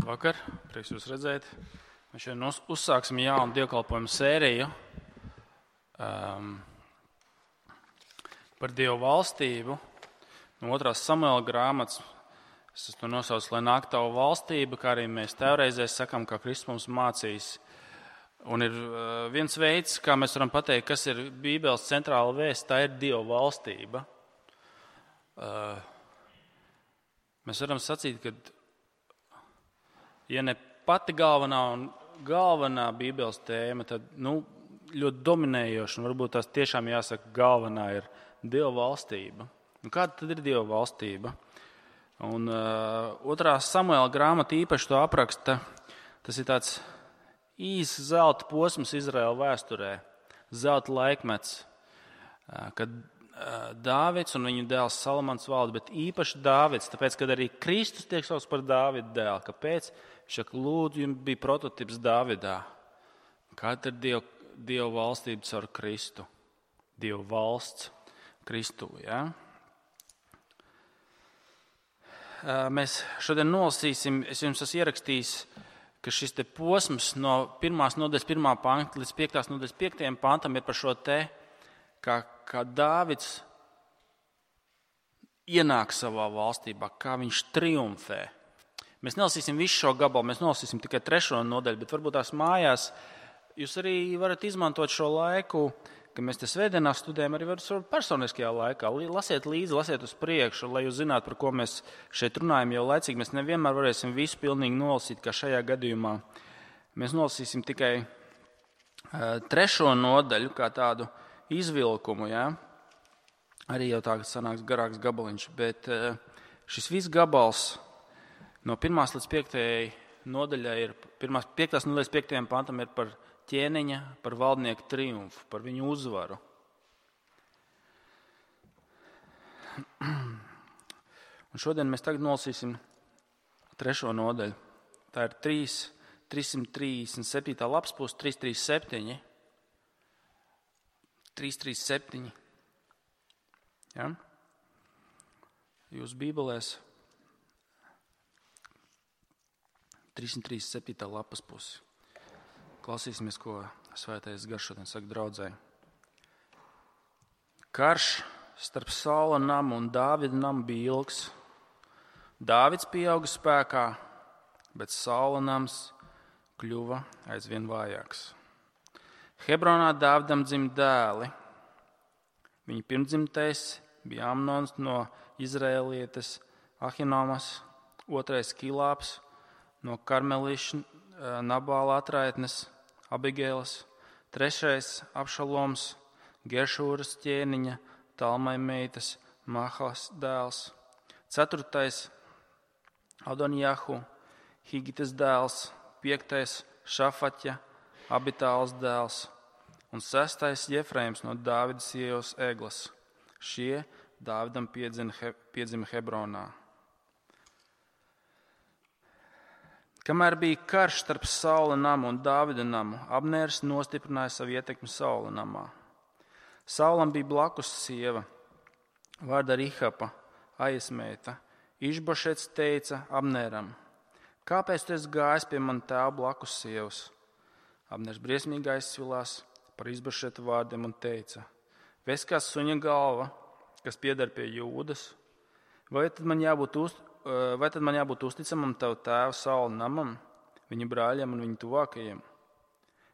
Labvakar, prieks jūs redzēt. Mēs šodien uzsāksim jaunu dievkalpojumu sēriju par Dievu valstību. No 2. Samuela grāmatas es to nosaucu, lai nāk tavu valstība, kā arī mēs teoreizēs sakam, kā Kristus mums mācīs. Un ir viens veids, kā mēs varam pateikt, kas ir Bībeles centrāla vēsts, tā ir Dieva valstība. Mēs varam sacīt, ka ja ne pati galvenā Bībeles tēma, tad ļoti dominējoša, un varbūt tās tiešām jāsaka galvenā ir Dieva valstība. Un kāda tad ir Dieva valstība? Un 2. Samuela grāmata īpaši to apraksta. Tas ir tāds īsts zelta posms Izraēla vēsturē, zelta laikmets, kad Dāvids un viņa dēls Salamans valda, bet īpaši Dāvids, tāpēc, kad arī Kristus tiek saukts par Dāvida dēlu. Kāpēc? Viņš saka, lūdzu, jums bija prototips Dāvidā. Kāda ir Dieva valstība caur Kristu? Dieva valsts Kristū, ja? Mēs šodien nolasīsim, es jums esmu ierakstījis, ka šis te posms no 1. nodaļas 1. panta līdz 5. nodaļas 5. pantam ir par šo te, kā Dāvids ienāk savā valstībā, kā viņš triumfē. Mēs nelasīsim visu šo gabalu, mēs nolasīsim tikai 3. nodaļu, bet varbūt tās mājās jūs arī varat izmantot šo laiku, ka mēs te svētdienās studējam, arī varat personiskajā laikā. Lasiet līdzi, lasiet uz priekšu, lai jūs zinātu, par ko mēs šeit runājam jau laicīgi. Mēs nevienmēr varēsim visu pilnīgi nolasīt, kā šajā gadījumā. Mēs nolasīsim tikai 3. nodaļu, kā tādu izvilkumu, ja? Arī jau tā, ka sanāks garāks gabaliņš, bet šis viss gabals no 1. līdz 5. nodaļai ir, 5. nodaļas 5. pantam ir par ķēniņa, par valdnieku triumfu, par viņu uzvaru. Un šodien mēs tagad nolasīsim 3. nodaļu. Tā ir 337. lapspuse, 337. 337. Ja? Jūs Bībelēs 337. lapas pusi. Klausīsimies, ko Svētais Gars šodien saka draudzē. Karš starp Saula namu un Dāvida namu bija ilgs. Dāvids pieauga spēkā, bet Saula nams kļuva aizvien vājāks. Hebronā Dāvidam dzima dēli. Viņa pirmdzimtais bija Amnons no Izraēlietes Ahinomas, 2. Kilāps no Karmeliša Nabāla atraitnes Abigēlas, 3. Abšaloms, Gešūras ķēniņa, Talmai meitas, Mahas dēls, 4. Adonjahu, Higitas dēls, 5. Šafaķa, Abitāls dēls un 6. Jefraims no Dāvida sievas Eglas. Šie Dāvidam piedzima Hebronā. Kamēr bija karš starp Saula namu un Dāvida namu, Abnērs nostiprināja savu ietekmi Saula namā. Saulam bija blakus sieva, vārda Rihapa, Aijas meita. Išbošets teica Abnēram, kāpēc tu esi gājis pie man tēva blakus sievas? Abnērs briesmīgi aizsvilās par Išbošeta vārdiem un teica, ves kā suņa galva, kas pieder pie Jūdas, vai tad man jābūt uzticamam tavu tēvu Saula namam, viņa brāļiem un viņa tuvākajiem?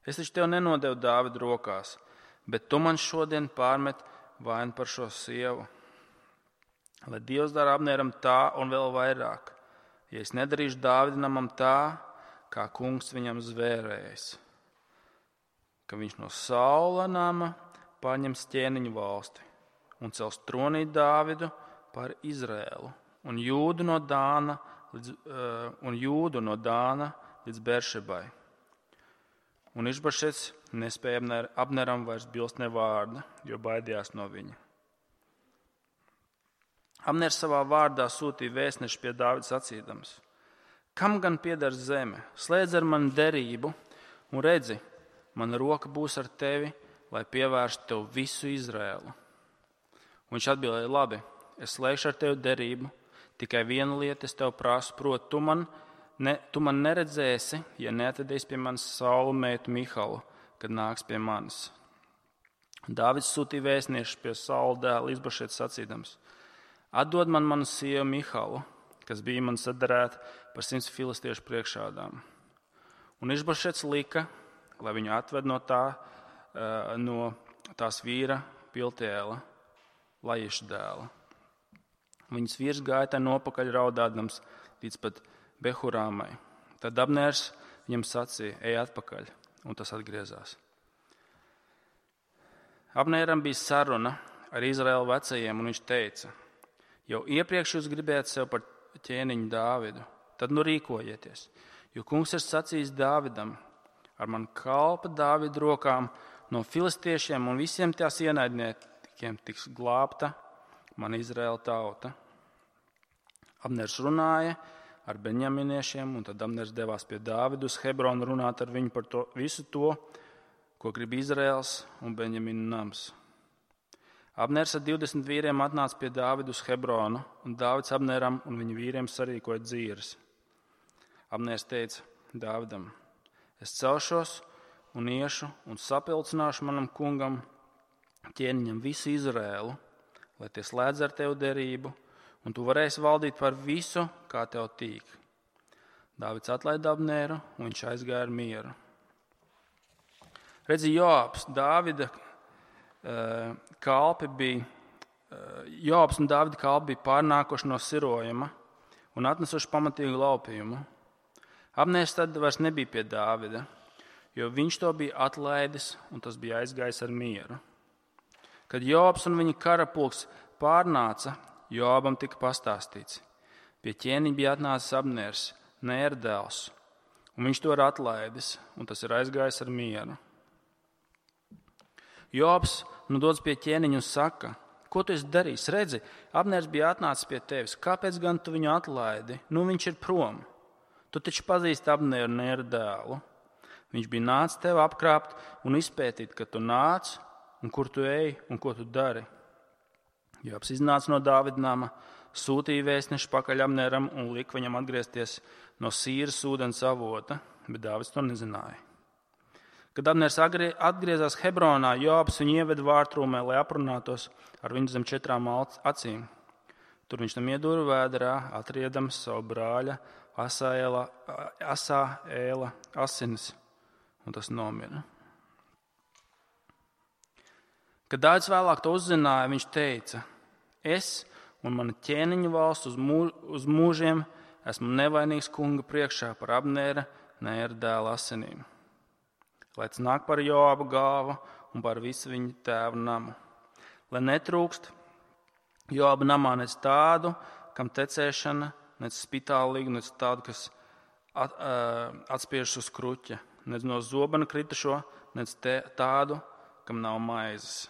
Es taču tev nenodevu Dāvidu rokās, bet tu man šodien pārmet vainu par šo sievu. Lai Dievs dara Abnēram tā un vēl vairāk, ja es nedarīšu Dāvida namam tā, kā kungs viņam zvērējis, ka viņš no Saula nama paņems ķēniņu valsti un cels tronī Dāvidu par Izraēlu. Un Jūdu no Dāna līdz Beršebai. Un Išbošets nespēja Abneram vairs bilst ne vārda, jo baidījās no viņa. Abners savā vārdā sūtīja vēstnešu pie Dāvida sacīdams, kam gan pieder zeme, slēdz ar mani derību un redzi, mana roka būs ar tevi, lai pievērstu tev visu Izraēlu. Un viņš atbildēja, labi, es slēgšu ar tevi derību, tikai viena lieta es tev prasu, proti, tu man tu man neredzēsi, ja neatvedīsi pie manis Saula meitu Mihalu, kad nāks pie manis. Dāvids sūtīja vēstniešus pie Saula dēla Išbošeta sacīdams: Atdod man manu sievu Mihalu, kas bija man sadarēta par 100 filistiešu priekšādām. Un Išbošets lika, lai viņu atved no tās vīra Piltiela, Lajiša dēla. Viņas vīrs gāja tai nopakaļ raudādams līdz pat Behurāmai. Tad Abnērs viņam sacīja: Ej atpakaļ, un tas atgriezās. Abnēram bija saruna ar Izraēlu vecajiem, un viņš teica: Jau iepriekš jūs gribējāt sev par ķēniņu Dāvidu, tad nu rīkojieties, jo kungs ir sacījis Dāvidam: Ar man kalpa Dāvida rokām no filistiešiem un visiem tās ienaidniekiem tiks glābta man Izraēla tauta. Abners runāja ar benjaminiešiem, un tad Abners devās pie Dāvidu uz Hebronu runāt ar viņu par visu to, ko grib Izraēls un Benjamina nams. Abners ar 20 vīriem atnāca pie Dāvidu uz Hebronu, un Dāvids Abneram un viņa vīriem sarīkoja dzīres. Abners teica Dāvidam: Es celšos un iešu un sapilcināšu manam kungam ķēniņam visu Izraēlu, lai tie slēdz ar tevi derību, un tu varēsi valdīt par visu, kā tev tīk. Dāvids atlaida Abneru, un viņš aizgāja ar mieru. Redzi, Joabs un Dāvida kalpi bija pārnākuši no sirojuma un atnesuši pamatīgu laupījumu. Abners tad vairs nebija pie Dāvida, jo viņš to bija atlaidis, un tas bija aizgājis ar mieru. Kad Joabs un viņa karapulks pārnāca, Joabam tika pastāstīts: Pie ķēniņa bija atnācis Abners, Nēra dēls, un viņš to ir atlaidis, un tas ir aizgājis ar mieru. Joabs dodas pie ķēniņa un saka: Ko tu esi darījis? Redzi, Abners bija atnācis pie tevis. Kāpēc gan tu viņu atlaidi? Nu, viņš ir prom. Tu taču pazīsti Abneru, Nēra dēlu. Viņš bija nācis tevi apkrāpt un izpētīt, kad tu nāc, un kur tu ej un ko tu dari. Joabs iznāca no Dāvida nama, sūtīja vēstnešu pakaļ Abneram un lika viņam atgriezties no Sīras ūdens avota, bet Dāvids to nezināja. Kad Abners atgriezās Hebronā, Joabs viņu ieveda vārtrūmē, lai aprunātos ar viņu zem 4 acīm. Tur viņš tam iedūra vēderā, atriedams savu brāļa Asāēla asinis, un tas nomira. Kad Dāvids vēlāk to uzzināja, viņš teica: Es un mana ķēniņa valsts uz mūžiem esmu nevainīgs kunga priekšā par Abnera, Nēra dēla asinīm. Lai tas nāk par Joabu galvu un par visu viņa tēva namu. Lai netrūkst Joaba namā nec tādu, kam tecēšana, nec spitālīgu, nec tādu, kas atspiežas uz kruķa, nec no zobena kritušo, nec tādu, kam nav maizes.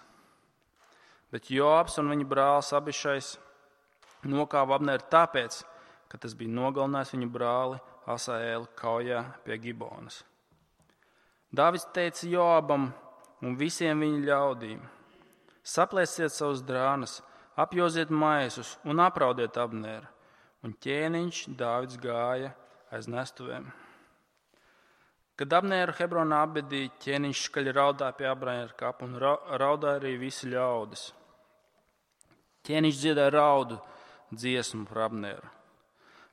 Bet Joabs un viņa brālis Abišais nokāva Abneru tāpēc, ka tas bija nogalinājis viņa brāli Asāēlu kaujā pie Gibonas. Dāvids teica Joabam un visiem viņa ļaudīm: Saplēsiet savus drānas, apjoziet maisus un apraudiet Abneru. Un ķēniņš Dāvids gāja aiz nestuvēm. Kad Abneru Hebronā apbedīja, ķēniņš skaļi raudāja pie Abnera kapa un raudāja arī visi ļaudis. Ķēniņš dziedāja raudu dziesmu par Abneru.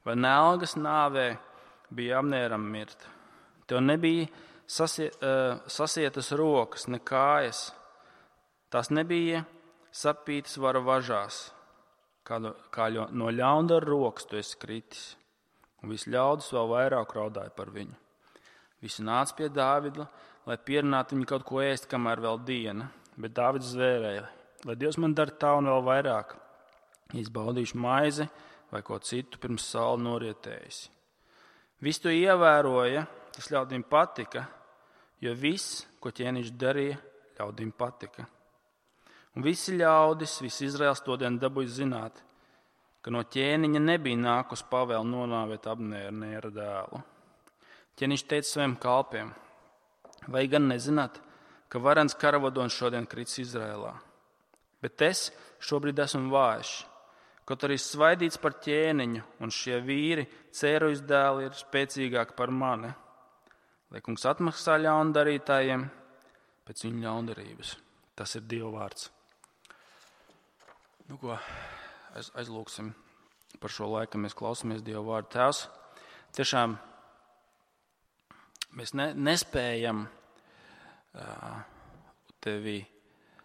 Vai nelgas nāvē bija Abneram mirt? Tev nebija sasietas rokas, ne kājas. Tās nebija sapītas vara važās, kā no ļaundara rokas tu esi kritis. Un visi ļaudis vēl vairāk raudāja par viņu. Visi nāca pie Dāvida, lai pierunātu viņu kaut ko ēst, kamēr vēl diena. Bet Dāvids zvērēja: Lai Dievs man dara tā un vēl vairāk, ja es baudīšu maizi vai ko citu pirms saule norietējas. Visi to ievēroja, tas ļaudīm patika, jo viss, ko ķēniņš darīja, ļaudīm patika. Un visi ļaudis, visi Izraels to dienu dabūja zināt, ka no ķēniņa nebija nākus pavēle nonāvēt Abneru, Nēra dēlu. Ķēniņš teica saviem kalpiem: Vai gan nezināt, ka varens karavadonis šodien kritis Izrēlā? Bet es šobrīd esmu vājš. kaut arī svaidīts par ķēniņu, un šie vīri, Cērujas dēli, ir spēcīgāki par mani. Lai kungs atmaksā ļaundarītājiem pēc viņu ļaundarības. Tas ir Dieva vārds. Nu ko, aizlūksim par šo laiku, kad mēs klausāmies Dieva vārdu. Tēvs, tiešām mēs nespējam tevi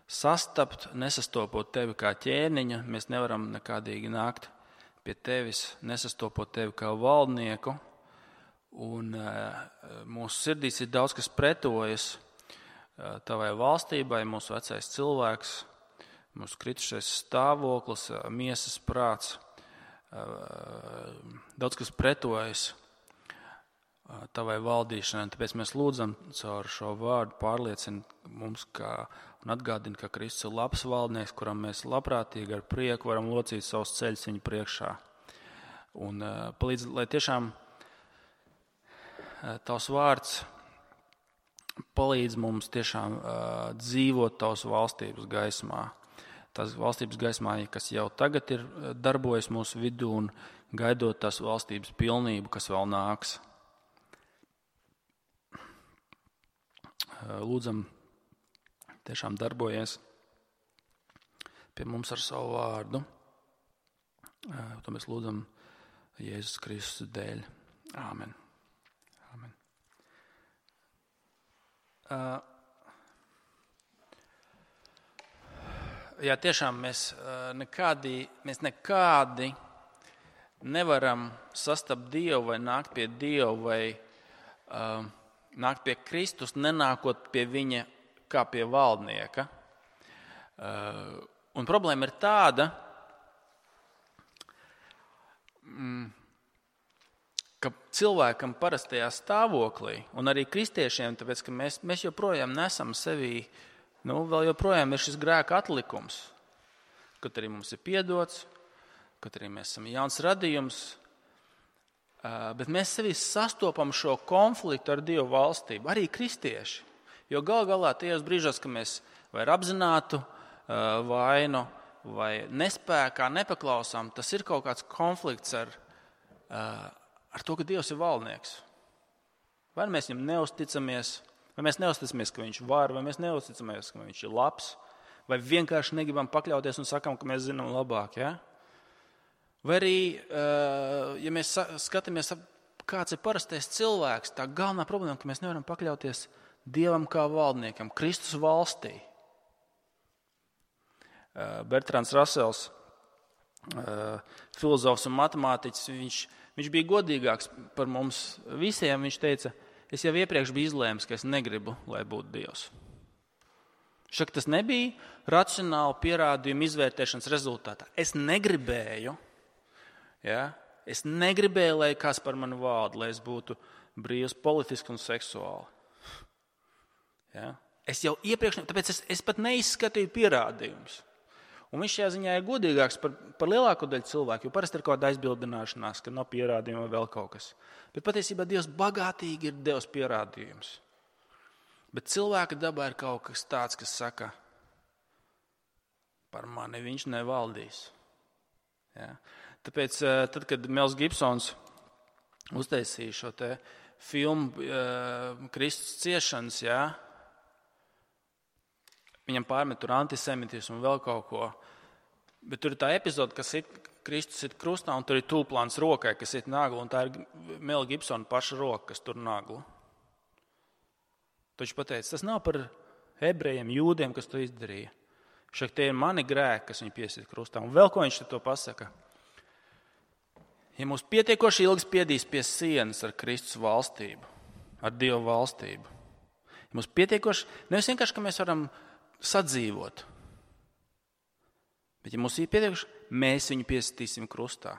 sastapt, nesastopot tevi kā ķēniņa. Mēs nevaram nekādīgi nākt pie tevis, nesastopot tevi kā valdnieku. Un mūsu sirdīs ir daudz, kas pretojas tavai valstībai, mūsu vecais cilvēks, mūsu kritušais stāvoklis, miesas prāts. Daudz, kas pretojas tavai valdīšanai. Tāpēc mēs lūdzam caur šo vārdu pārliecina mums, un atgādina, ka Kristus ir labs valdnieks, kuram mēs labprātīgi ar prieku varam locīt savus ceļus viņa priekšā. Un palīdz, lai tiešām tavs vārds palīdz mums tiešām dzīvot tavas valstības gaismā. Tās valstības gaismā, kas jau tagad ir darbojas mūsu vidū un gaidot tās valstības pilnību, kas vēl nāks. Lūdzam, tiešām darbojies pie mums ar savu vārdu. To mēs lūdzam Jēzus Kristus dēļ. Āmen. Āmen. Jā, tiešām mēs nekādi nevaram sastapt Dievu vai nākt pie Dievu vai nākt pie Kristus, nenākot pie viņa kā pie valdnieka. Un problēma ir tāda, ka cilvēkam parastajā stāvoklī, un arī kristiešiem, tāpēc, ka mēs joprojām nesam sevī, vēl joprojām ir šis grēka atlikums, kaut arī mums ir piedots, kaut arī mēs esam jauns radījums, bet mēs sevī sastopam šo konfliktu ar Dievu valstību, arī kristieši. Jo gal galā tajos brīžos, ka mēs vai ar apzinātu vainu, vai nespēkā nepaklausām, tas ir kaut kāds konflikts ar to, ka Dievs ir valdnieks. Vai mēs viņam neusticamies, vai mēs neusticamies, ka viņš var, vai mēs neusticamies, ka viņš ir labs, vai vienkārši negribam pakļauties un sakam, ka mēs zinām labāk, ja? Vai arī, ja mēs skatāmies, kāds ir parastais cilvēks, tā galvenā problēma, ka mēs nevaram pakļauties Dievam kā valdniekam, Kristus valstī. Bertrands Rasels, filozofs un matemātiķis, viņš bija godīgāks par mums visiem. Viņš teica, es jau iepriekš biju izlēmis, ka es negribu, lai būtu Dievs. Šak tas nebija racionāli pierādījumu izvērtēšanas rezultātā. Es negribēju, es negribēju, lai kāds par mani valda, lai es būtu brīvs politiski un seksuāli. Es jau iepriekš, tāpēc es pat neizskatīju pierādījumus. Un viņš šajā ziņā ir godīgāks par lielāko daļu cilvēku, jo parasti ir kaut kāda aizbildināšanās, ka nav pierādījuma vai vēl kaut kas. Bet patiesībā Dievs bagātīgi ir devis pierādījumus. Bet cilvēka dabā ir kaut kas tāds, kas saka, par mani viņš nevaldīs. Tāpēc, tad, kad Mels Gibsons uztaisīja šo te filmu Kristus ciešanas, viņam pārmet tur antisemitismu un vēl kaut ko. Bet tur ir tā epizode, kas Kristus ir krustā, un tur ir tūplāns rokai, kas ir nagla, un tā ir Mela Gibsona paša roka, kas tur nagla. Taču pateica, tas nav par ebrejiem, jūdiem, kas to izdarīja. Šeit tie ir mani grēki, kas viņu piesīt krustā. Un vēl ko viņš to pasaka? Ja mūs pietiekoši ilgi spiedīs pie sienas ar Kristus valstību, ar Dievu valstību, ja mūs pietiekoši, nevis vienkārši, ka mēs varam sadzīvot, bet ja mums ir pietiekuši, mēs viņu piesitīsim krustā.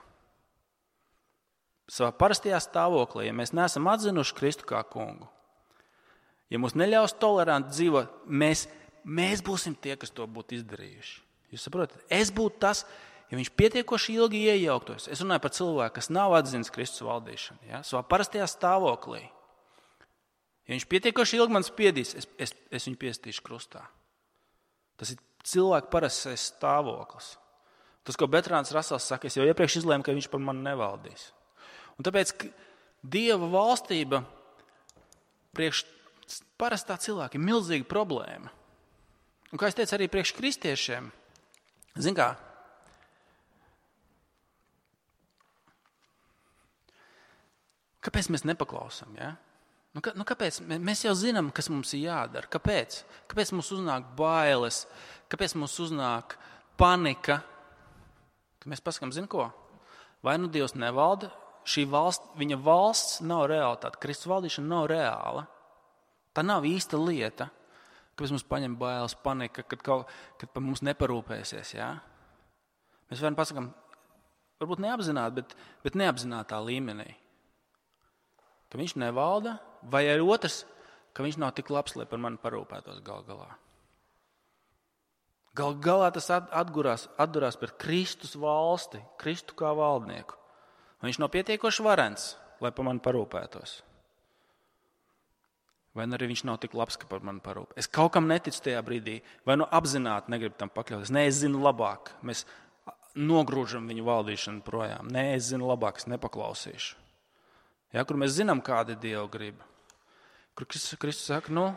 Savā parastajā stāvoklī, ja mēs neesam atzinuši Kristu kā kungu, ja mums neļaus toleranti dzīvot, mēs būsim tie, kas to būtu izdarījuši. Jūs saprotat? Es būtu tas, ja viņš pietiekoši ilgi iejauktos. Es runāju par cilvēku, kas nav atzinis Kristus valdīšanu, savā parastajā stāvoklī. Ja viņš pietiekoši ilgi man spiedīs, es viņu piesitīšu krustā. Tas ir cilvēka parastais stāvoklis. Tas, ko Bertrāns Rasels saka, es jau iepriekš izlēmu, ka viņš par mani nevaldīs. Un tāpēc Dieva valstība priekš parastā cilvēka ir milzīga problēma. Un kā es teicu, arī priekš kristiešiem, zin kā, kāpēc mēs nepaklausām, ja? Kāpēc? Mēs jau zinām, kas mums ir jādara. Kāpēc? Kāpēc mums uznāk bailes? Kāpēc mums uznāk panika? Kad mēs pasakām, zin ko? Vai nu Dievs nevalda? Šī valsts, viņa valsts nav realitāte. Kristus valdīšana nav reāla. Tā nav īsta lieta. Kāpēc mums paņem bailes, panika, kad par mums neparūpēsies, ja? Mēs varam pasakām, varbūt neapzināti, bet neapzinātā līmenī. Ka viņš nevalda, vai arī otrs, ka viņš nav tik labs, lai par mani parūpētos gal galā. Gal galā tas atdurās par Kristus valsti, Kristu kā valdnieku. Un viņš nav pietiekoši varens, lai par mani parūpētos. Vai arī viņš nav tik labs, ka par mani parūpē. Es kaut kam neticu tajā brīdī, vai nu apzināti negribu tam pakļauties. Nē, es zinu labāk, mēs nogrūžam viņu valdīšanu projām. Nē, es zinu labāk, es nepaklausīšu. Ja, kur mēs zinām, kāda ir Dieva griba. Kur Kristus saka,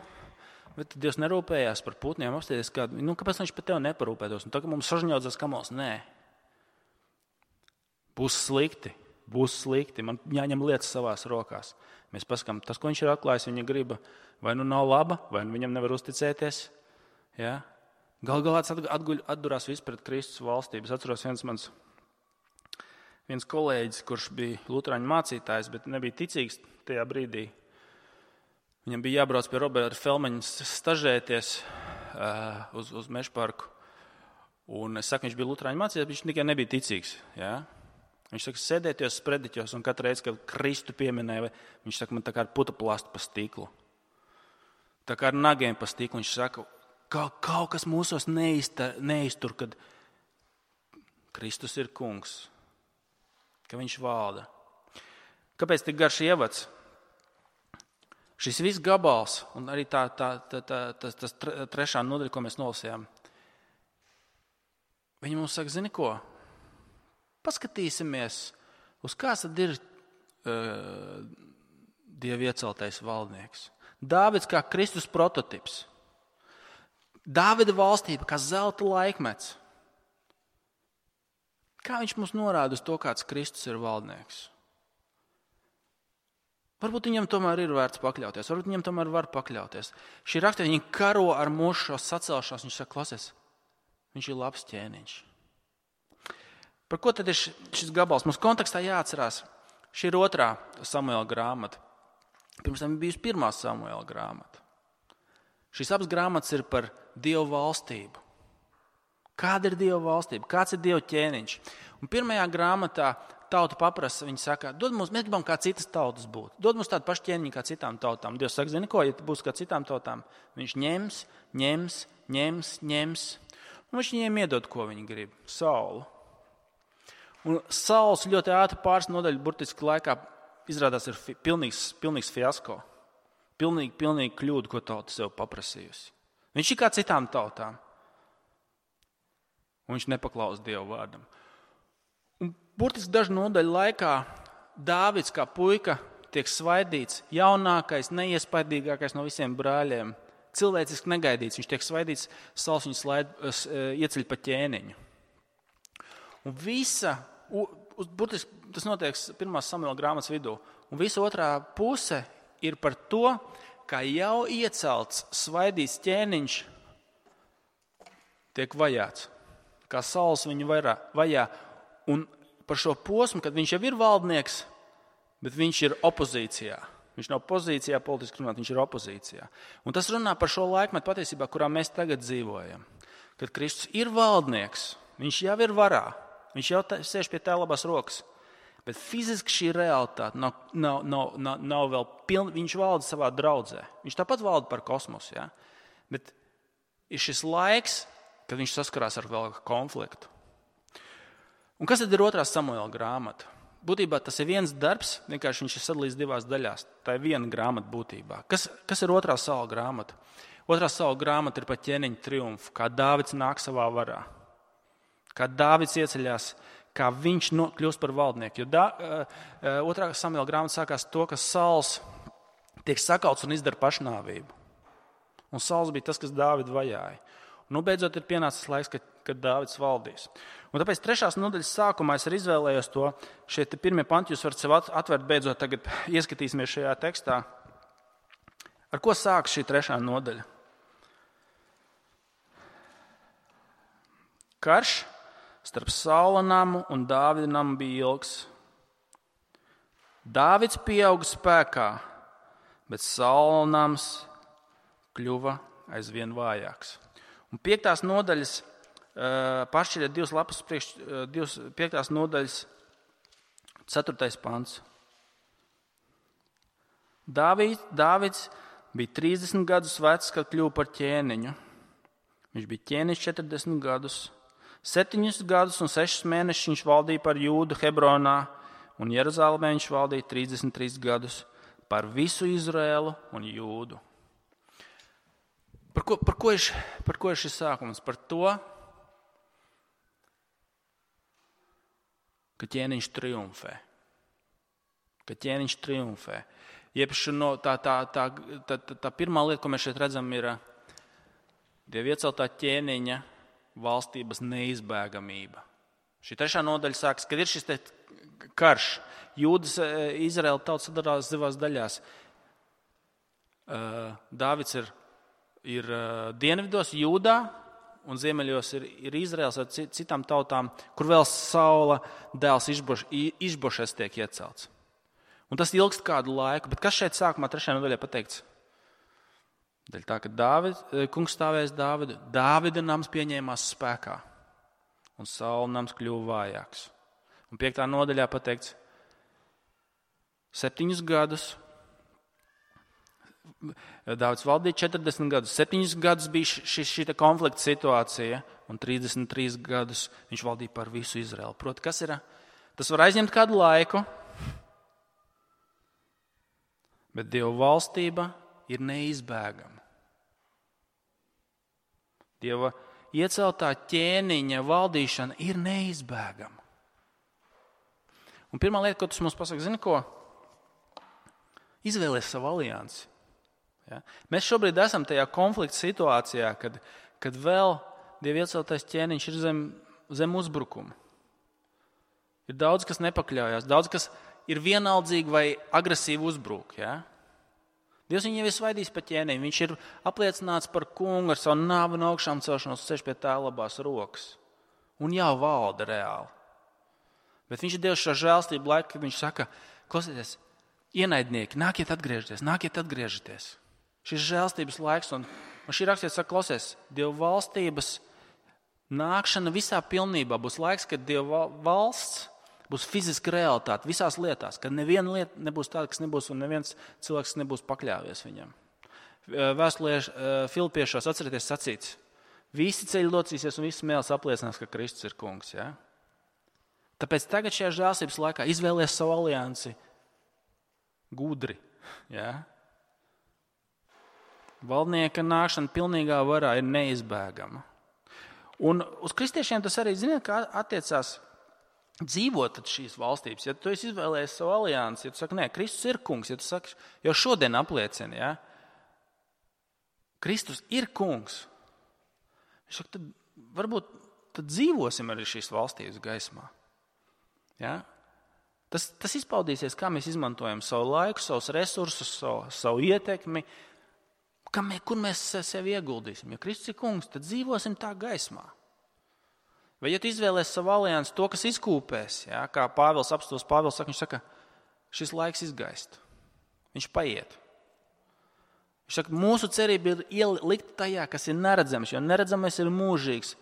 bet Dievs nerūpējās par putniem, apstāties kādu, kāpēc viņš par tevi neparūpētos? Un tagad mums sažņaudzās kamols, nē. Būs slikti, man jāņem lietas savās rokās. Mēs pasakām, tas, ko viņš ir atklājis, viņa griba, vai nu nav laba, vai nu viņam nevar uzticēties. Ja? Galā tas atdurās viss pret Kristus valstību. Es atceros viens kolēģis, kurš bija luterāņu mācītājs, bet nebija ticīgs tajā brīdī. Viņam bija jābrauc pie Roberta Felmeņa stažēties uz Mežparku. Un es saku, viņš bija luterāņu mācītājs, bet viņš tikai nebija ticīgs. Ja? Viņš saka, sēdēties sprediķos, un katru reizi, kad Kristu pieminēja, viņš saka, man tā kā ar putuplastu pa stiklu. Tā kā ar nagiem pa stiklu. Viņš saka, kaut kas mūsos neiztur, kad Kristus ir kungs. Ka viņš valda. Kāpēc tik garš ievads? Šis viss gabals un arī tas trešā nodaļa, ko mēs nolasījām, viņi mums saka, zini ko? Paskatīsimies, uz kāds tad ir Dieva ieceltais valdnieks. Dāvids kā Kristus prototips. Dāvida valstība kā zelta laikmets. Kā viņš mums norāda uz to, kāds Kristus ir valdnieks? Varbūt viņam tomēr ir vērts pakļauties, varbūt viņam tomēr var pakļauties. Šī rakstā viņi karo ar mūsu šo sacelšanos, viņš saka, klausies, viņš ir labs ķēniņš. Par ko tad ir šis gabals? Mums kontekstā jāatcerās, šī ir 2. Samuela grāmata. Pirms tam bija 1. Samuela grāmata. Šīs abas grāmatas ir par Dievu valstību. Kāda ir Dieva valstība? Kāds ir Dieva ķēniņš? Un 1. grāmatā tauta paprasa, viņi saka, mēs gribam kā citas tautas būt. Dod mums tādu pašu ķēniņu kā citām tautām. Dievs saka, zini ko, ja būs kā citām tautām, viņš ņems. Un viņš viņiem iedod, ko viņi grib. Saulu. Un Sauls ļoti ātri pāris nodaļu burtiski laikā izrādās ir pilnīgs fiasko. Pilnīgi kļūda, ko tauta sev paprasījusi. Viņš ir kā citām tautām. Un viņš nepaklaus Dieva vārdam. Un burtiski dažu nodaļu laikā Dāvids kā puika tiek svaidīts, jaunākais, neiespaidīgākais no visiem brāļiem, cilvēciski negaidīts. Viņš tiek svaidīts, Sauls viņu ieceļ pa ķēniņu. Un burtiski tas notiek 1. Samuela grāmatas vidū. Un visa otrā puse ir par to, kā jau iecelts, svaidīts ķēniņš tiek vajāts. Kā Sauls viņu vajā. Un par šo posmu, kad viņš jau ir valdnieks, bet viņš ir opozīcijā. Viņš nav pozīcijā, politiski runāt, viņš ir opozīcijā. Un tas runā par šo laikmetu patiesībā, kurā mēs tagad dzīvojam. Kad Kristus ir valdnieks, viņš jau ir varā, viņš jau sēž pie tā labās rokas. Bet fiziski šī realitāte nav vēl pilna. Viņš valda savā draudzē. Viņš tāpat valda par kosmosu. Ja? Bet ir šis laiks, kad viņš saskarās ar vēl konfliktu. Un kas tad ir 2. Samuela grāmata? Būtībā tas ir viens darbs, vienkārši viņš ir sadalīts 2 daļās. Tā ir viena grāmata būtībā. Kas ir 2. Saula grāmata? 2. Saula grāmata ir par ķēniņa triumfu, kā Dāvids nāk savā varā. Kā Dāvids ieceļās, kā viņš kļūst par valdnieku. Jo 2. Samuēla grāmata sākās to, ka Sauls tiek sakauts un izdara pašnāvību. Un Sauls bija tas, kas Dāvidu vajāja. Un beidzot ir pienācis laiks, kad Dāvids valdīs. Un tāpēc 3. nodaļas sākumā es arī izvēlējos to. Šie pirmie panti jūs varat sev atvērt beidzot, tagad ieskatīsimies šajā tekstā. Ar ko sākas šī 3. nodaļa? Karš starp Saula namu un Dāvida namu bija ilgs. Dāvids pieauga spēkā, bet Saula nams kļuva aizvien vājāks. Un 5. nodaļas pašķiriet 2 lapas priekš, 5. nodaļas 4. pants. Dāvids bija 30 gadus vecs, kad kļuva par ķēniņu. Viņš bija ķēniņš 40 gadus. 7 gadus un 6 mēnešus viņš valdīja par Jūdu Hebronā, un Jeruzālēmē viņš valdīja 33 gadus par visu Izraēlu un Jūdu. Par ko ir šis sākums? Par to, ka ķēniņš triumfē. Iepriekš tā pirmā lieta, ko mēs šeit redzam, ir Dieva ieceltā ķēniņa valstības neizbēgamība. Šī 3. nodaļa sākas, kad ir šis karš. Jūdas, Izraēla tauta sadalās divās daļās. Dāvids ir dienvidos, Jūdā, un ziemeļos ir Izraēls ar citām tautām, kur vēl Saula dēls Išbošets tiek iecelts. Un tas ilgst kādu laiku, bet kas šeit sākumā 3. nodaļā pateikts? Daļa tā, ka kungs stāvēs Dāvidu, Dāvida nams pieņēmās spēkā, un Saula nams kļuva vājāks. Un 5. nodaļā pateikts, 7 gadus, Dāvids valdīja 40 gadus, 7 gadus bija šī konflikta situācija, un 33 gadus viņš valdīja par visu Izraēlu. Proti, kas ir? Tas var aizņemt kādu laiku, bet Dieva valstība ir neizbēgama. Dieva ieceltā ķēniņa valdīšana ir neizbēgama. Un pirmā lieta, ko tas mums pasaka, zini ko? Izvēlies savu aliansi. Ja? Mēs šobrīd esam tajā konflikta situācijā, kad vēl Dieva ieceltais ķēniņš ir zem uzbrukuma. Ir daudz, kas nepakļaujās, daudz, kas ir vienaldzīgi vai agresīvi uzbruk. Ja? Dievs viņu jau ir svaidījis pa ķēniņu. Viņš ir apliecināts par kungu ar savu nāvu un augšām celšanos ceļš pie tā labās rokas. Un jau valda reāli. Bet viņš ir Dievs šo žēlstību laiku, kad viņš saka, klausieties, ienaidnieki, nākiet atgriežieties. Šis žēlstības laiks, un šī rakstiet saka, klausies, Dieva valstības nākšana visā pilnībā būs laiks, kad Dieva valsts būs fiziska realitāte visās lietās, kad neviena lieta nebūs tāda, kas nebūs, un neviens cilvēks nebūs pakļāvies viņam. Vēstulē Filipiešos atcerieties sacīts, visi ceļi locīsies un visi mēls apliecinās, ka Kristus ir kungs. Ja? Tāpēc tagad šajā žēlstības laikā izvēlies savu aliansi gudri. Ja? Valdnieka nākšana pilnīgā varā ir neizbēgama. Un uz kristiešiem tas arī, ziniet, kā attiecās dzīvot šīs valstības. Ja tu esi izvēlējies savu aliansi, ja tu saki, nē, Kristus ir kungs, ja tu saki, jau šodien apliecini, ja? Kristus ir kungs. Viņš saka, tad varbūt tad dzīvosim arī šīs valstības gaismā. Ja? Tas izpaudīsies, kā mēs izmantojam savu laiku, savus resursus, savu ietekmi, kur mēs sevi ieguldīsim. Ja Kristus ir kungs, tad dzīvosim tā gaismā. Vai ja tu izvēlēs savu aliansi to, kas izkūpēs, ja, kā apstāsts Pāvils saka, viņš saka, šis laiks izgaist. Viņš paiet. Viņš saka, mūsu cerība ir ielikt tajā, kas ir neredzams, jo neredzamais ir mūžīgs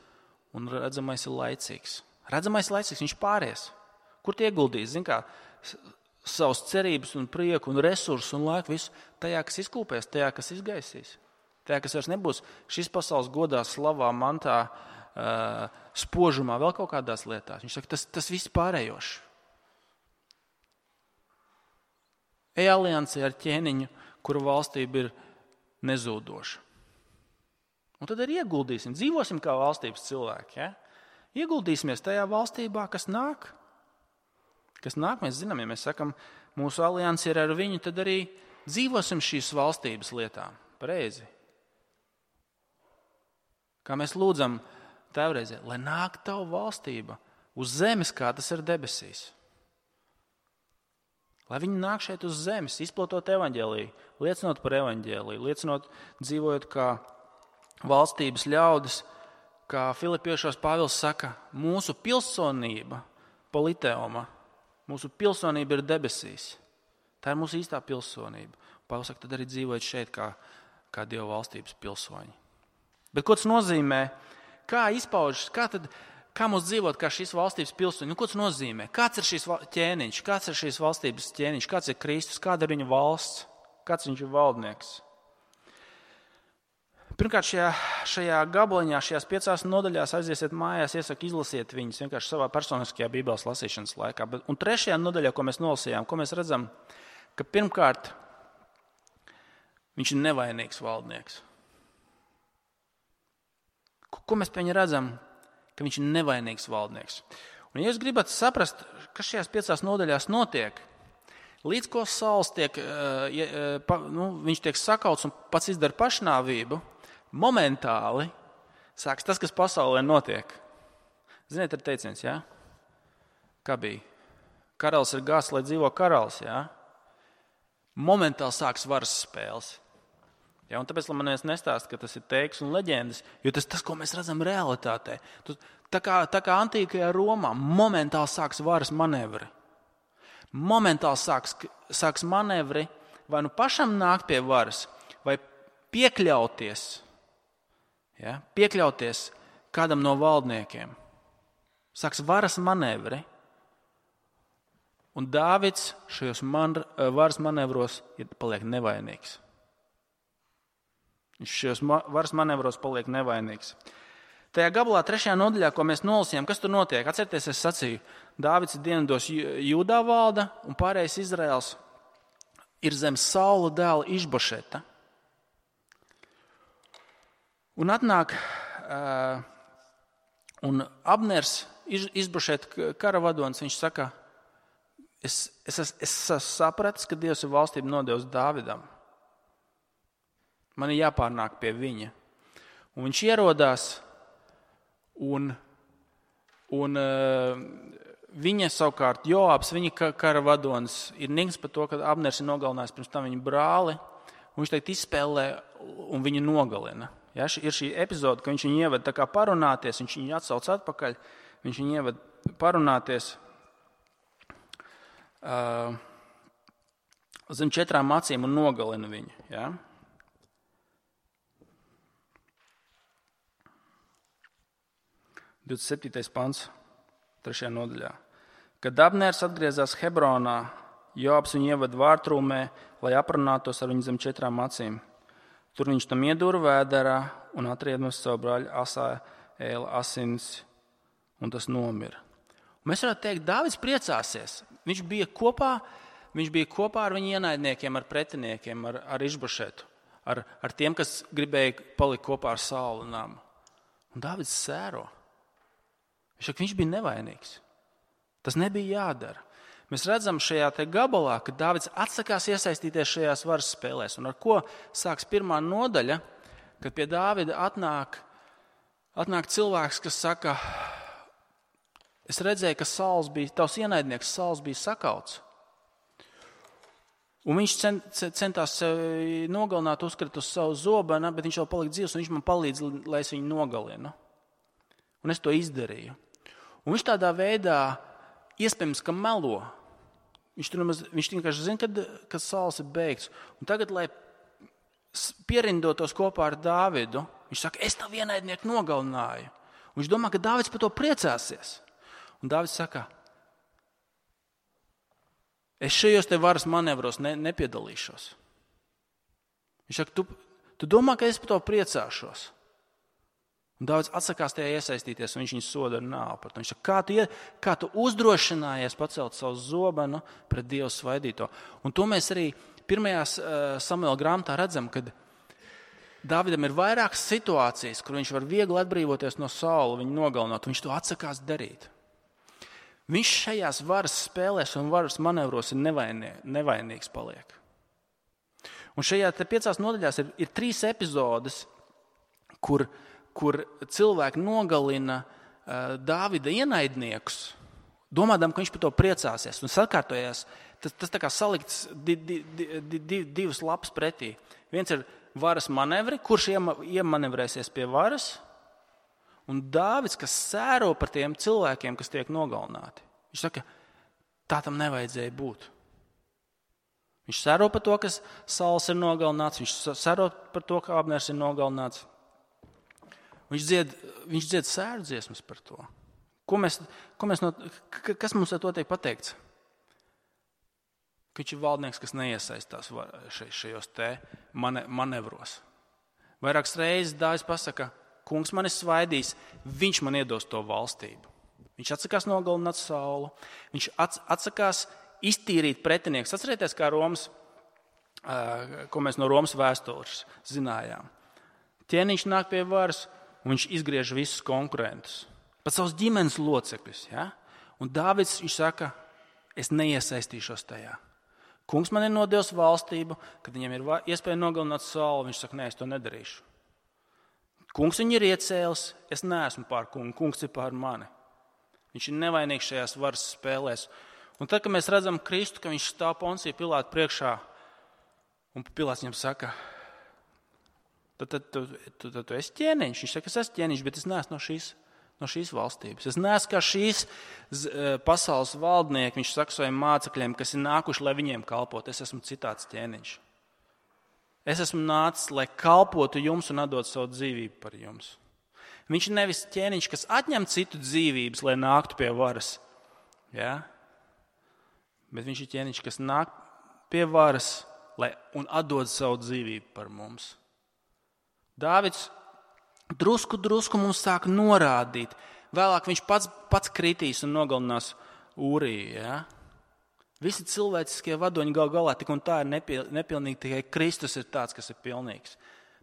un redzamais ir laicīgs. Redzamais laicīgs, viņš pāries. Kur tie ieguldīs? Zin kā, savas cerības un prieku un resursus un laiku visu tajā, kas izkūpēs, tajā, kas izgaisīs. Tajā, kas vairs nebūs šis pasaules godā, slavā, mantā, spožumā, vēl kaut kādās lietās. Viņš saka, tas viss pārējošs. Ej aliansē ar ķēniņu, kura valstība ir nezūdoša. Un tad arī ieguldīsim, dzīvosim kā valstības cilvēki. Ja? Ieguldīsimies tajā valstībā, kas nāk. Kas nāk, mēs zinām, ja mēs sakam, mūsu alianse ir ar viņu, tad arī dzīvosim šīs valstības lietām. Pareizi. Kā mēs lūdzam Tēvreizē, lai nāk tavu valstība uz zemes, kā tas ir debesīs. Lai viņi nāk šeit uz zemes, izplatot evaņģēliju, liecinot par evaņģēliju, liecinot, dzīvojot kā valstības ļaudis, kā Filipiešos Pāvils saka, mūsu pilsonība, politeoma, mūsu pilsonība ir debesīs. Tā ir mūsu īstā pilsonība. Pāvils saka, tad arī dzīvojot šeit kā Dieva valstības pilsoņi. Bet ko tas nozīmē? Kā izpaužas, kā mums dzīvot kā šīs valstības pilsoņi? Ko tas nozīmē? Kāds ir šīs ķēniņš? Kāds ir šīs valstības ķēniņš? Kāds ir Kristus? Kāda ir viņa valsts? Kāds viņš ir valdnieks? Pirmkārt, šajā gabaliņā, šajās 5 nodaļās aiziesiet mājās, iesaku izlasiet viņus vienkārši savā personiskajā Bībeles lasīšanas laikā. Un 3. nodaļā, ko mēs nolasījām, ko mēs redzam, ka pirmkārt, viņš ir nevainīgs valdnieks. Ko mēs pie viņa redzam? Ka viņš ir nevainīgs valdnieks. Un ja jūs gribat saprast, kas šajās 5 nodaļās notiek, līdz ko Sauls viņš tiek sakauts un pats izdara pašnāvību, momentāli sāks tas, kas pasaulē notiek. Ziniet, ir teiciens, jā? Kā bija? Karalis ir gāzts, lai dzīvo karalis, jā? Momentāli sāks varas spēles. Ja, un tāpēc man nestāsta, ka tas ir teiks un leģendas, jo tas, ko mēs redzam realitātē. Tā kā antīkajā Romā momentāli sāks varas manevri. Momentāli sāks manevri vai nu pašam nākt pie varas, vai piekļauties kādam no valdniekiem. Sāks varas manevri. Un Dāvids šajos varas manevros paliek nevainīgs. Viņš šajos varas manevros paliek nevainīgs. Tajā gabalā 3. nodaļā, ko mēs nolasījām, kas tur notiek? Atcerieties, es sacīju, Dāvids dienvidos Jūdā valda un pārējais Izraels ir zem Saula dēla Išbošeta. Un atnāk un Abners, Išbošeta karavadonis, viņš saka, es sapratis, ka Dievs ir valstību nodevis Dāvidam. Man ir jāpārnāk pie viņa. Un viņš ierodās, un viņa savukārt, Joabs, viņa karavadonis, ir nīgs par to, ka Abners ir nogalinājis pirms tam viņa brāli, un viņš teikt izspēlē un viņu nogalina. Ja, ir šī epizode, ka viņš viņu ieved tā kā parunāties, viņš viņu atsauc atpakaļ, viņš viņu ieved parunāties zem 4 acīm un nogalina viņu. Ja. 27. pants, 3. nodaļā. Kad Abners atgriezās Hebronā, Joabs viņu ieved vārtrūmē, lai aprunātos ar viņu zem 4 acīm. Tur viņš tam iedūra vēderā un atriedmas savu brāļu Asāēla asins, un tas nomira. Un mēs varētu teikt, Dāvids priecāsies. Viņš bija kopā ar viņu ienaidniekiem, ar pretiniekiem, ar Išbošetu, ar tiem, kas gribēja palikt kopā ar Saula namu. Un Dāvids sēro. Viņš bija nevainīgs. Tas nebija jādara. Mēs redzam šajā te gabalā, ka Dāvids atsakās iesaistīties šajās varas spēlēs. Un ar ko sāks 1. nodaļa, kad pie Dāvida atnāk cilvēks, kas saka, es redzēju, ka tavs ienaidnieks Sauls bija sakauts. Un viņš centās sevi nogalināt, uzkrita uz savu zobenu, bet viņš vēl palika dzīvs, un viņš man palīdz, lai es viņu nogalinu. Un es to izdarīju. Un viņš tādā veidā iespējams, ka melo. Viņš vienkārši zina, kad Sauls ir beigts. Un tagad, lai pierindotos kopā ar Dāvidu, viņš saka, es tavu ienaidnieku nogalināju. Un viņš domā, ka Dāvids par to priecāsies. Un Dāvids saka, es šajos te varas manevros nepiedalīšos. Viņš saka, tu domā, ka es par to priecāšos. Un Dāvids atsakās tajā iesaistīties, un viņš viņu soda ar nāvu par to. Viņš saka, kā tu uzdrošinājies pacelt savu zobenu pret Dievu svaidīto. Un to mēs arī 1. Samuela grāmatā redzam, kad Dāvidam ir vairākas situācijas, kur viņš var viegli atbrīvoties no Saula, viņu nogalināt, un viņš to atsakās darīt. Viņš šajās varas spēlēs un varas manevros ir nevainīgs paliek. Un šajā 5 nodaļās ir 3 epizodes, kur cilvēki nogalina Dāvida ienaidniekus, domādam, ka viņš par to priecāsies. Un sakārtojās, tas tā kā salikts 2 lapas pretī. Viens ir varas manevri, kurš iemanevrēsies pie varas, un Dāvids, kas sēro par tiem cilvēkiem, kas tiek nogalināti. Viņš saka, tā tam nevajadzēja būt. Viņš sēro par to, ka Sauls ir nogalināts, viņš sēro par to, ka Abners ir nogalināts. Viņš dzied sērdziesmas par to. Kas mums ar to tiek pateikts? Ka viņš ir valdnieks, kas neiesaistās šajos te manevros. Vairākas reizes Dāvids pasaka, kungs man ir svaidījis, viņš man iedos to valstību. Viņš atsakās nogalināt Saulu, viņš atsakās iztīrīt pretinieks. Atcerieties, kā ko mēs no Romas vēstures zinājām. Ķēniņš nāk pie varas, un viņš izgriež visus konkurentus. Pat savus ģimenes locekļus. Ja? Un Dāvids, viņš saka, es neiesaistīšos tajā. Kungs man ir nodevis valstību, kad viņam ir iespēja nogalināt Saulu, viņš saka, nē, es to nedarīšu. Kungs viņu ir iecēlis, es neesmu pār kungu, kungs ir pār mani. Viņš ir nevainīgs šajās varas spēlēs. Un tad, kad mēs redzam Kristu, ka viņš stāv Poncija Pilāta priekšā, un Pilāts viņam saka, tad tu esi ķēniņš. Viņš saka, es esmu ķēniņš, bet es neesmu no šīs valstības. Es neesmu kā šīs pasaules valdnieki, viņš saka saviem mācekļiem, kas ir nākuši, lai viņiem kalpot. Es esmu citāds ķēniņš. Es esmu nācis, lai kalpotu jums un atdot savu dzīvību par jums. Viņš ir nevis ķēniņš, kas atņem citu dzīvības, lai nāktu pie varas. Ja? Bet viņš ir ķēniņš, kas nāk pie varas un atdod savu dzīvību par mums. Dāvids drusku mums sāk norādīt. Vēlāk viņš pats kritīs un nogalinās Ūriju. Ja? Visi cilvēciskie vadoņi gal galā tik un tā ir nepilnīgi, tikai Kristus ir tāds, kas ir pilnīgs.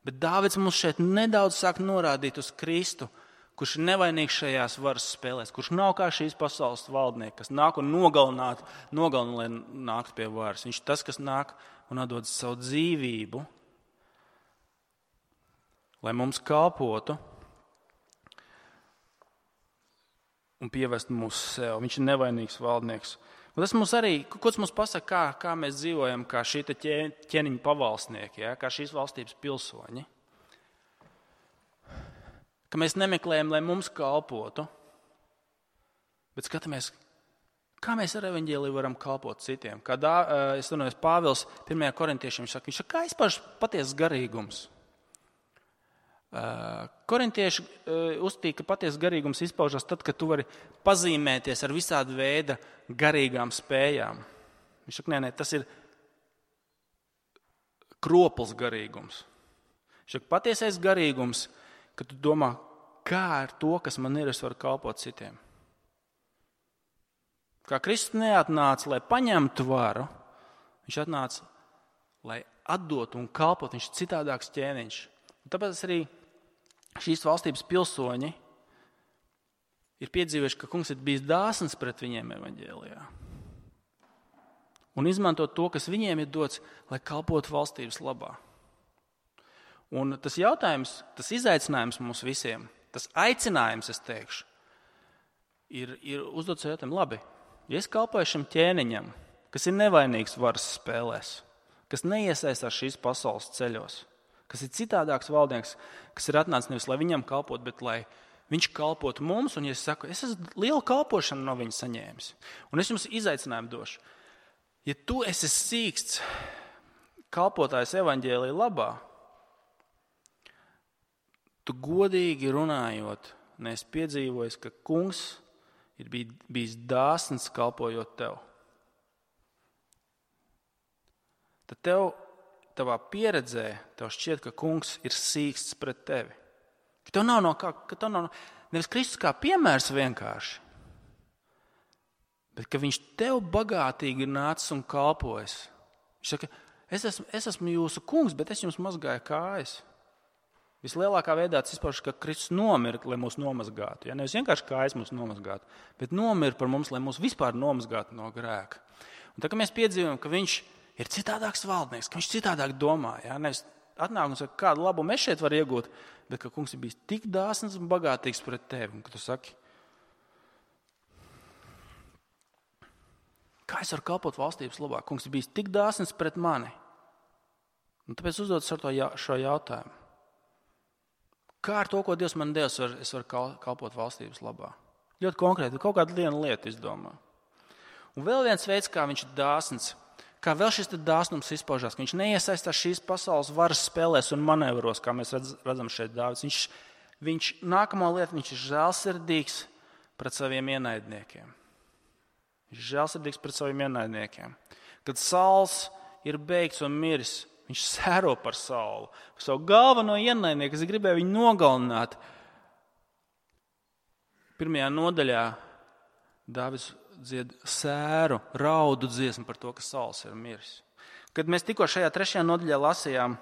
Bet Dāvids mums šeit nedaudz sāk norādīt uz Kristu, kurš ir nevainīgs šajās varas spēlēs, kurš nav kā šīs pasaules valdnieki, kas nāk un nogalina, lai nāktu pie varas. Viņš ir tas, kas nāk un atdod savu dzīvību, lai mums kalpotu un pievestu mūs sev. Viņš ir nevainīgs valdnieks. Un tas mums arī, ko tas mums pasaka, kā mēs dzīvojam, kā šī ķēniņa pavalsnieki, ja, kā šīs valstības pilsoņi. Ka mēs nemeklējam, lai mums kalpotu, bet skatāmies, kā mēs ar evaņģēliju varam kalpot citiem. Es runāju, Pāvils 1. korintiešiem, viņš saka, kā izpaužas patiesas garīgums? Korintieši uzstīja, ka patiesas garīgums izpaužas tad, kad tu vari pazīmēties ar visādu veidu garīgām spējām. Viņš saka, nē, tas ir kropls garīgums. Viņš saka, patiesais garīgums, kad tu domā, kā ar to, kas man ir, es varu kalpot citiem. Kā Kristus neatnāca, lai paņemtu varu, viņš atnāca, lai atdotu un kalpot, viņš ir citādāks ķēniņš. Un tāpēc arī šīs valstības pilsoņi ir piedzīvojuši, ka kungs ir bijis dāsns pret viņiem evaņģēlijā. Un izmantot to, kas viņiem ir dots, lai kalpotu valstības labā. Un tas jautājums, tas izaicinājums mums visiem, tas aicinājums, es teikšu, ir uzdot sev jautājumu, labi, ja es kalpoju šim ķēniņam, kas ir nevainīgs varas spēlēs, kas neiesaistās šīs pasaules ceļos, kas ir citādāks valdnieks, kas ir atnācis nevis, lai viņam kalpot, bet lai viņš kalpotu mums, un ja es saku, es esmu lielu kalpošanu no viņa saņēmis, un es jums izaicinājumu došu. Ja tu esi sīksts kalpotājs evaņģēlija labā, tu godīgi runājot, neesi piedzīvojis, ka kungs ir bijis dāsns kalpojot tev. Tad tavā pieredzē tev šķiet, ka kungs ir sīksts pret tevi. Ka tev nav nevis Kristus kā piemērs vienkārši, bet ka viņš tev bagātīgi ir nācis un kalpojis. Viņš saka, es esmu jūsu kungs, bet es jums mazgāju kājas. Vislielākā veidā tas izpaužas, ka Kristus nomira, lai mūs nomazgātu. Ja? Nevis vienkārši kājas mūs nomazgātu, bet nomira par mums, lai mūs vispār nomazgātu no grēka. Un tā, ka mēs piedzīvojam, ka viņš ir citādāks valdnieks, ka viņš citādāk domā. Ja? Nevis atnāk un saka, kādu labumu es šeit varu iegūt, bet ka kungs ir bijis tik dāsns un bagātīgs pret tevi. Un ka tu saki, kā es varu kalpot valstības labā? Kungs ir bijis tik dāsns pret mani. Un tāpēc uzdodas ar šo jautājumu. Kā ar to, ko Dievs man devis, es varu kalpot valstības labā? Ļoti konkrēti, kaut kādu vienu lietu izdomā. Un vēl viens veids, kā viņš ir dāsns, kā vēl šis dāsnums izpaužās, ka viņš neiesaistās šīs pasaules varas spēlēs un manevros, kā mēs redzam šeit Dāvids. Viņš nākamo lietu, viņš ir žēlsirdīgs pret saviem ienaidniekiem. Viņš ir žēlsirdīgs pret saviem ienaidniekiem. Kad Sauls ir beigts un miris, viņš sēro par Saulu, par savu galveno ienaidnieku, kas gribēja viņu nogalināt. Pirmajā nodaļā Dāvids dzied sēru, raudu dziesmu par to, ka Sauls ir miris. Kad mēs tikko šajā 3. nodaļā lasījām,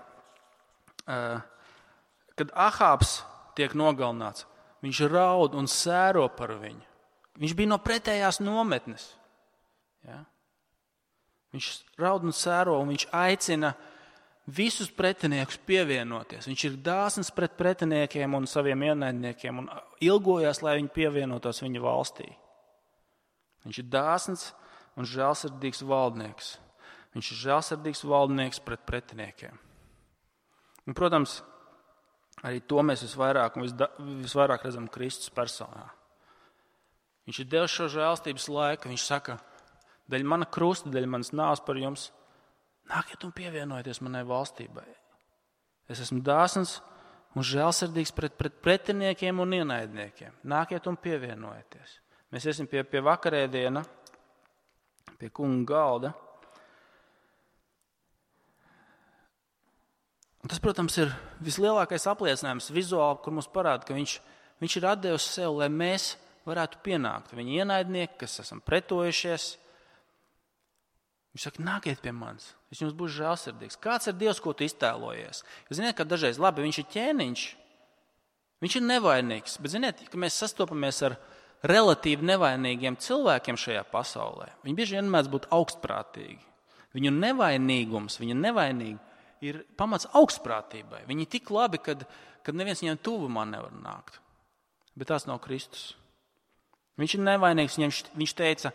kad Ahābs tiek nogalināts, viņš raud un sēro par viņu. Viņš bija no pretējās nometnes. Ja? Viņš raud un sēro un viņš aicina visus pretiniekus pievienoties. Viņš ir dāsns pret pretiniekiem un saviem ienaidniekiem un ilgojās, lai viņi pievienotos viņa valstī. Viņš ir dāsns un žēlsirdīgs valdnieks. Viņš ir žēlsirdīgs valdnieks pret pretiniekiem. Un, protams, arī to mēs visvairāk redzam Kristus personā. Viņš ir devis šo žēlstības laiku. Viņš saka, daļa mana krusta, daļa manas nāves par jums, nākiet un pievienojieties manai valstībai. Es esmu dāsns un žēlsirdīgs pret pretiniekiem un ienaidniekiem. Nākiet un pievienojieties. Mēs iesim pie vakarēdiena, pie kunga galda. Un tas, protams, ir vislielākais apliecinājums vizuāli, kur mums parāda, ka viņš ir atdevis sev, lai mēs varētu pienākt. Viņa ienaidnieki, kas esam pretojušies, viņš saka, nākiet pie manis, es jums būšu žēlsirdīgs. Kāds ir Dievs, ko tu iztēlojies? Jūs ziniet, ka dažreiz, labi, viņš ir ķēniņš, viņš ir nevainīgs, bet ziniet, ka mēs sastopamies ar relatīvi nevainīgiem cilvēkiem šajā pasaulē. Viņi bieži vien mēdz būt augstprātīgi. Viņu nevainīgums, viņa nevainīgi ir pamats augstprātībai. Viņi ir tik labi, kad neviens viņiem tuvumā nevar nākt. Bet tās nav Kristus. Viņš ir nevainīgs, viņš teica,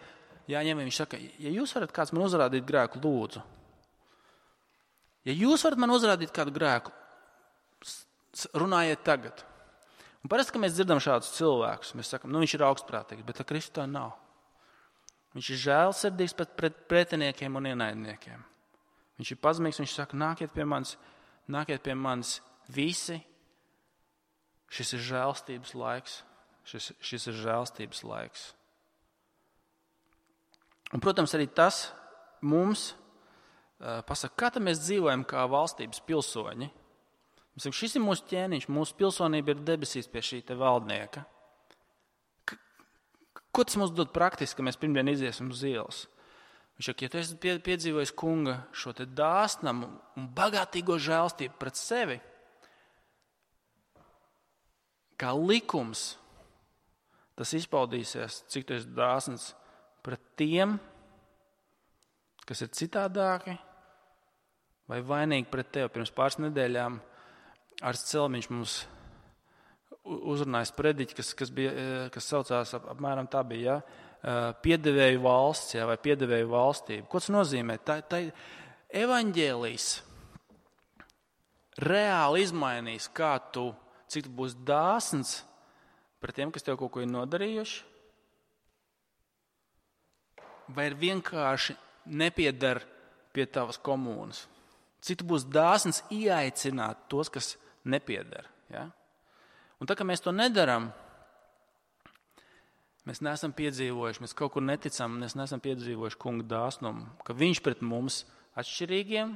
viņš saka, ja jūs varat kāds man uzrādīt grēku, lūdzu. Ja jūs varat man uzrādīt kādu grēku, runājiet tagad. Un parasti, kad mēs dzirdam šādus cilvēkus, mēs sakam, viņš ir augstprātīgs, bet Kristus tā nav. Viņš ir žēlsirdīgs pret pretiniekiem un ienaidniekiem. Viņš ir pazemīgs, viņš saka, nākiet pie manis visi. Šis ir žēlstības laiks. Šis ir žēlstības laiks. Un, protams, arī tas mums pasaka, kā tad mēs dzīvojam kā valstības pilsoņi. Mēs sakam, šis ir mūsu ķēniņš, mūsu pilsonība ir debesīs pie šī te valdnieka. Ko tas mums dod praktiski, ka mēs pirmdien iziesim uz ielas? Viņš saka, ja tu esi piedzīvojis kunga šo te dāsnamu un bagātīgo žēlstību pret sevi, kā likums, tas izpaudīsies, cik tu esi dāsns pret tiem, kas ir citādāki vai vainīgi pret tevi. Pirms pāris nedēļām Ārsts Celmiņš mums uzrunājis prediķi, kas saucās apmēram tā bija, piedevēju valsts, vai piedevēju valstība. Ko tas nozīmē? Tā evaņģēlijs reāli izmainīs, cik tu būsi dāsns pret tiem, kas tev kaut ko ir nodarījuši, vai ir vienkārši nepieder pie tavas komunas. Cik tu būsi dāsns ieaicināt tos, kas nepieder. Ja? Un tā, ka mēs to nedaram, mēs neesam piedzīvojuši, mēs kaut kur neticam, mēs neesam piedzīvojuši kunga dāsnumu, ka viņš pret mums atšķirīgiem,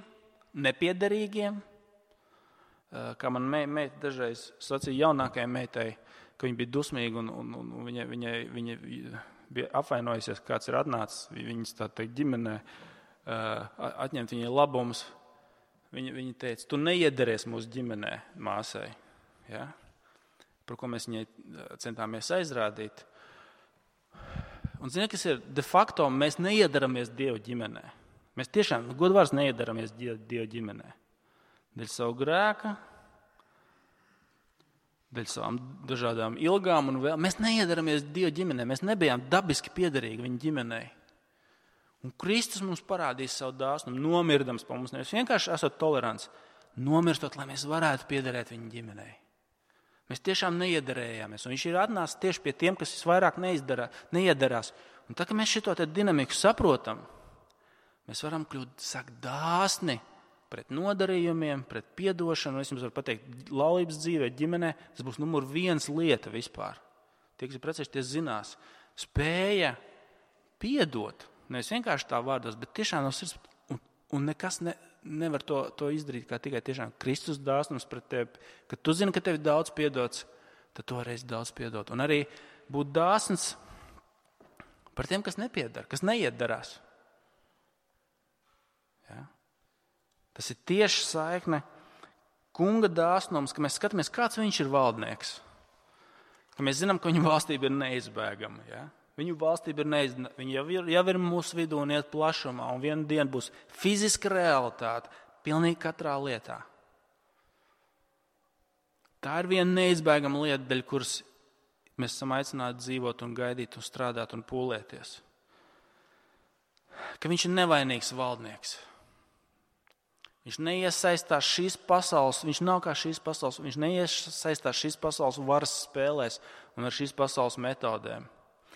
nepiederīgiem, kā man meita dažreiz sacīja jaunākajai meitai, ka viņa bija dusmīga un viņa bija apvainojusies, kāds ir atnācis viņas tā teikt ģimenē, atņemt viņai labumus. Viņa teica, tu neiederēs mūsu ģimenē, māsai. ja, par ko mēs viņai centāmies aizrādīt. Un zini, kas ir de facto, mēs neiedaramies Dieva ģimenē. Mēs tiešām, godvārds, neiedaramies Dieva ģimenē. Dēļ savu grēka, dēļ savām dažādām ilgām un vēl. Mēs neiedaramies Dieva ģimenē, mēs nebijām dabiski piederīgi viņa ģimenei. Un Kristus mums parādīs savu dāsnumu, nomirdams pa mums, nevis vienkārši esot tolerants, nomirstot, lai mēs varētu piederēt viņa ģimenei. Mēs tiešām neiedarējāmies, un viņš ir atnācis tieši pie tiem, kas visvairāk neiedarās. Un tā, ka mēs šito dinamiku saprotam, mēs varam kļūt dāsni pret nodarījumiem, pret piedošanu. Es jums varu pateikt, laulības dzīvē, ģimenē, tas būs numur 1 lieta vispār. Tie, kas ir precējuši, tie zinās. Spēja piedot, nevis vienkārši tā vārdos, bet tiešām no sirds, un nekas nevar to izdarīt, kā tikai tiešām Kristus dāsnums pret tevi. Kad tu zini, ka tev ir daudz piedots, tad tu varēsi daudz piedot. Un arī būt dāsns par tiem, kas nepiedara, kas neiedarās. Ja? Tas ir tieši saikne kunga dāsnums, ka mēs skatāmies, kāds viņš ir valdnieks. Ka mēs zinām, ka viņa valstība ir neizbēgama. Ja? Viņu valstība ir neizbēgama. Viņa jau ir mūsu vidū un iet plašumā, un vienu dienu būs fiziska realitāte pilnīgi katrā lietā. Tā ir viena neizbēgama lieta, dēļ kuras mēs esam aicināti dzīvot un gaidīt un strādāt un pūlēties. Ka viņš ir nevainīgs valdnieks. Viņš neiesaistās šīs pasaules, viņš nav kā šīs pasaules, viņš neiesaistās šīs pasaules varas spēlēs un ar šīs pasaules metodēm.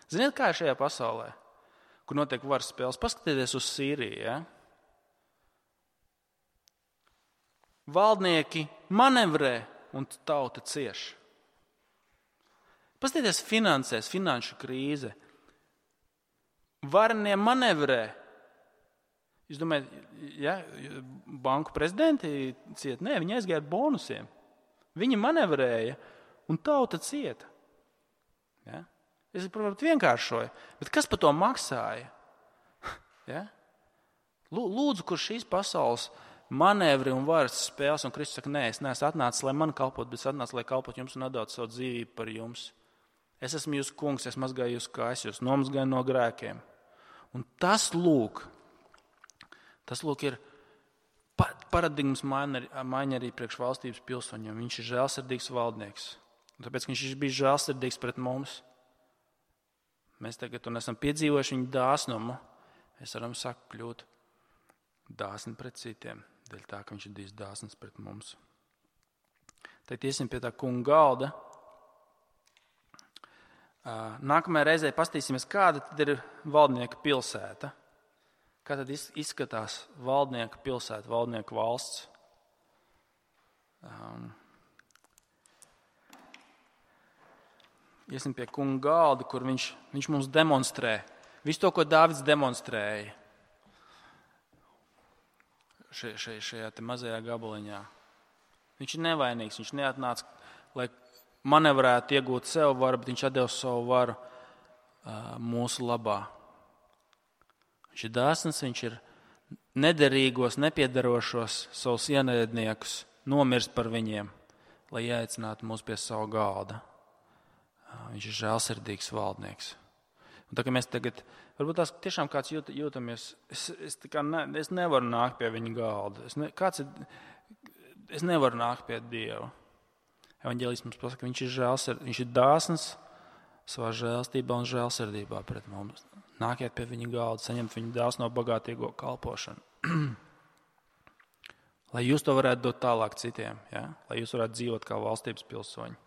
Ziniet, kā ir šajā pasaulē, kur notiek varas spēles? Paskatieties uz Sīriju. Ja? Valdnieki manevrē un tauta cieš. Paskatieties finansēs, finanšu krīze. Varenie manevrē. Jūs domājat, ja, banku prezidenti cieta? Nē, viņi aizgāja ar bonusiem. Viņi manevrēja un tauta cieta. Ja? Es, protams, vienkāršoju, bet kas par to maksāja? Ja? Lūdzu, kur šīs pasaules manevri un varas spēles, un Kristus saka, nē, es neesmu atnācis, lai man kalpot, bet es atnācis, lai kalpot jums un atdot savu dzīvību par jums. Es esmu jūsu kungs, es mazgāju jūsu kājas, jūs nomazgāju no grēkiem. Un tas lūk ir paradigmas maiņa arī priekš valstības pilsoņiem. Viņš ir žēlsirdīgs valdnieks. Un tāpēc, ka viņš ir bijis žēlsirdīgs pret mums, mēs tagad esam piedzīvojuši viņa dāsnumu. Mēs varam kļūt dāsni pret citiem, dēļ tā, ka viņš ir bijis dāsns pret mums. Tad iesim pie tā kunga galda. Nākamajā reizē pastīsimies, kāda tad ir valdnieka pilsēta. Kā tad izskatās valdnieka pilsēta, valdnieka valsts. Iesim pie kunga galda, kur viņš mums demonstrē. Visu to, ko Dāvids demonstrēja šajā te mazajā gabaliņā. Viņš ir nevainīgs, viņš neatnāca, lai manevrētu iegūt sev varu, bet viņš atdeva savu varu mūsu labā. Viņš ir dāsns, viņš ir nederīgos, nepiedarošos savus ienaidniekus, nomirst par viņiem, lai ieaicinātu mūs pie savu galda. Viņš ir žēlsirdīgs valdnieks. Un tā kā mēs tagad, varbūt tās tiešām kāds jūtamies, es nevaru nākt pie viņa galda. Es nevaru nākt pie Dieva. Evaņģēlijs mums pasaka, ka viņš ir dāsns savā žēlstībā un žēlsirdībā pret mums. Nākiet pie viņa galda, saņemt viņa dāsno bagātīgo kalpošanu. Lai jūs to varētu dot tālāk citiem, ja? Lai jūs varētu dzīvot kā valstības pilsoņi.